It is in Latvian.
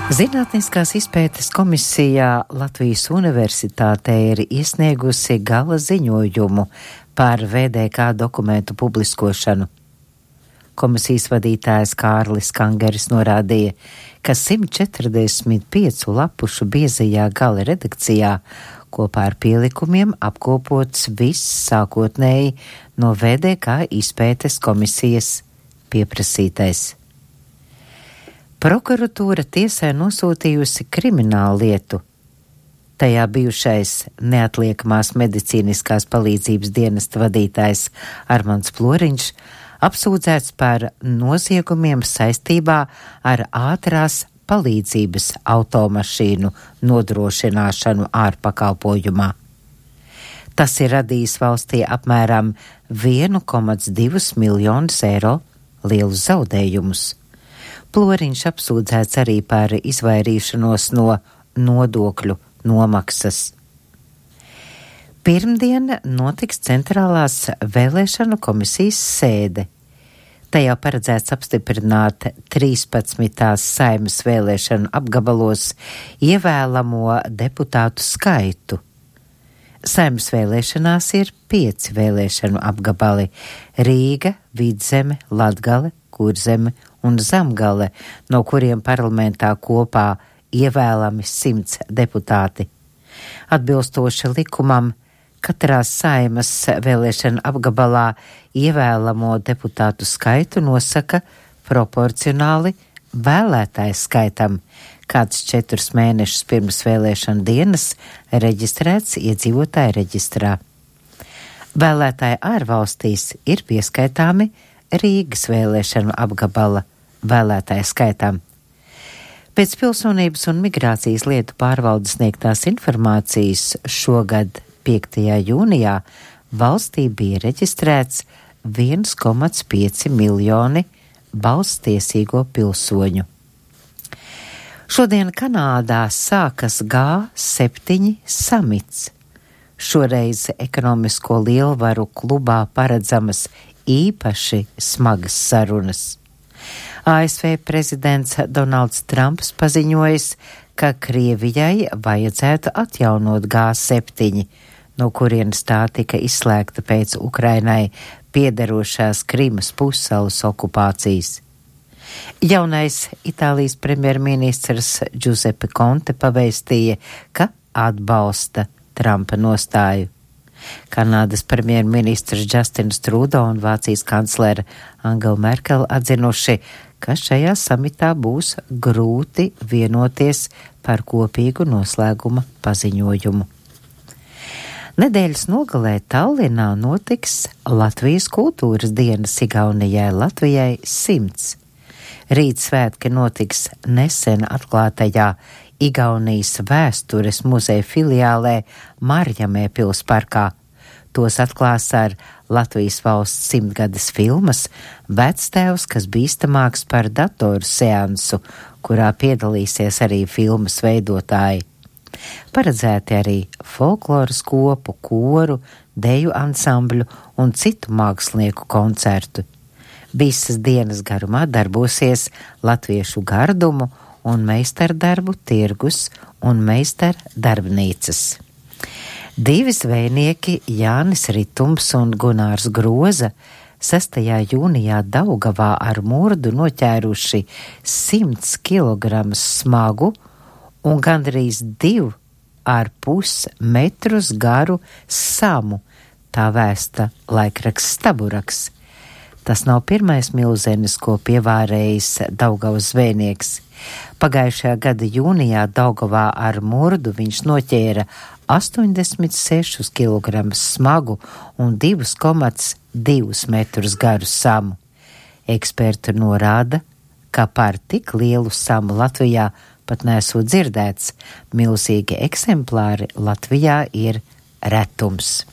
Zinātniskās izpētes komisijā Latvijas Universitātē ir iesniegusi gala ziņojumu par VDK dokumentu publiskošanu. Komisijas vadītājs Kārlis Kangeris norādīja, ka 145 lapušu biezajā gala redakcijā kopā ar pielikumiem apkopots viss sākotnēji no VDK izpētes komisijas pieprasītais. Prokuratūra tiesai nosūtījusi kriminālu lietu. Tajā bijušais neatliekamās medicīniskās palīdzības dienesta vadītājs Armands Ploriņš apsūdzēts par noziegumiem saistībā ar ātrās palīdzības automašīnu nodrošināšanu ārpakalpojumā. Tas ir radījis valstī apmēram 1,2 miljonus eiro lielus zaudējumus. Ploriņš apsūdzēts arī par izvairīšanos no nodokļu nomaksas. Pirmdien notiks centrālās vēlēšanu komisijas sēde. Tajā paredzēts apstiprināt 13. Saeimas vēlēšanu apgabalos ievēlamo deputātu skaitu. Saeimas vēlēšanās ir 5 vēlēšanu apgabali – Rīga, Vidzeme, Latgale, Kurzeme un Zemgale, no kuriem parlamentā kopā ievēlami 100 deputāti. Atbilstoši likumam, katrā Saeimas vēlēšana apgabalā ievēlamo deputātu skaitu nosaka proporcionāli vēlētāju skaitam, kāds 4 mēnešus pirms vēlēšana dienas reģistrēts iedzīvotāju reģistrā. Vēlētāji ārvalstīs ir pieskaitāmi Rīgas vēlēšanu apgabala vēlētāju skaitam. Pēc Pilsonības un migrācijas lietu pārvaldes sniegtās informācijas šogad 5. jūnijā valstī bija reģistrēts 1,5 miljoni balsstiesīgo pilsoņu. Šodien Kanādā sākas G7 samits. Šoreiz ekonomisko lielvaru klubā paredzamas īpaši smagas sarunas. ASV prezidents Donalds Trumps paziņojis, ka Krievijai vajadzētu atjaunot G7, no kurienes tā tika izslēgta pēc Ukrainai piederošās Krimas pussalas okupācijas. Jaunais Itālijas premjerministrs Giuseppe Conte pavēstīja, ka atbalsta Trumpa nostāju. Kanādas premjerministrs Justins Trudeau un Vācijas kanclere Angela Merkel atzinuši, ka šajā samitā būs grūti vienoties par kopīgu noslēguma paziņojumu. Nedēļas nogalē Tallinā notiks Latvijas kultūras dienas Igaunijai Latvijai 100. Rīt svētki notiks nesen atklātajā Igaunijas vēstures muzeja filiālē Marjamē pilsparkā. Tos atklās ar Latvijas valsts 100-gades filmas Vectēvs, kas bīstamāks par datoru seansu, kurā piedalīsies arī filmas veidotāji. Paredzēti arī folkloras kopu, koru, deju ansambļu un citu mākslinieku koncertu. Visas dienas garumā darbosies latviešu gardumu un meistardarbu tirgus un meistardarbnīcas. 2 zvejnieki, Jānis Ritums un Gunārs Groza, 6. jūnijā Daugavā ar murdu noķēruši 100 kg smagu un gandrīz 2,5 metrus garu samu, tā vēsta laikraksts Staburaks. Tas nav pirmais milzenis, ko pievārējis Daugavas zvejnieks. Pagājušajā gada jūnijā Daugavā ar murdu viņš noķēra 86 kg smagu un 2,2 metrus garu samu. Eksperti norāda, ka par tik lielu samu Latvijā pat nesot dzirdēts. Milzīgi eksemplāri Latvijā ir retums.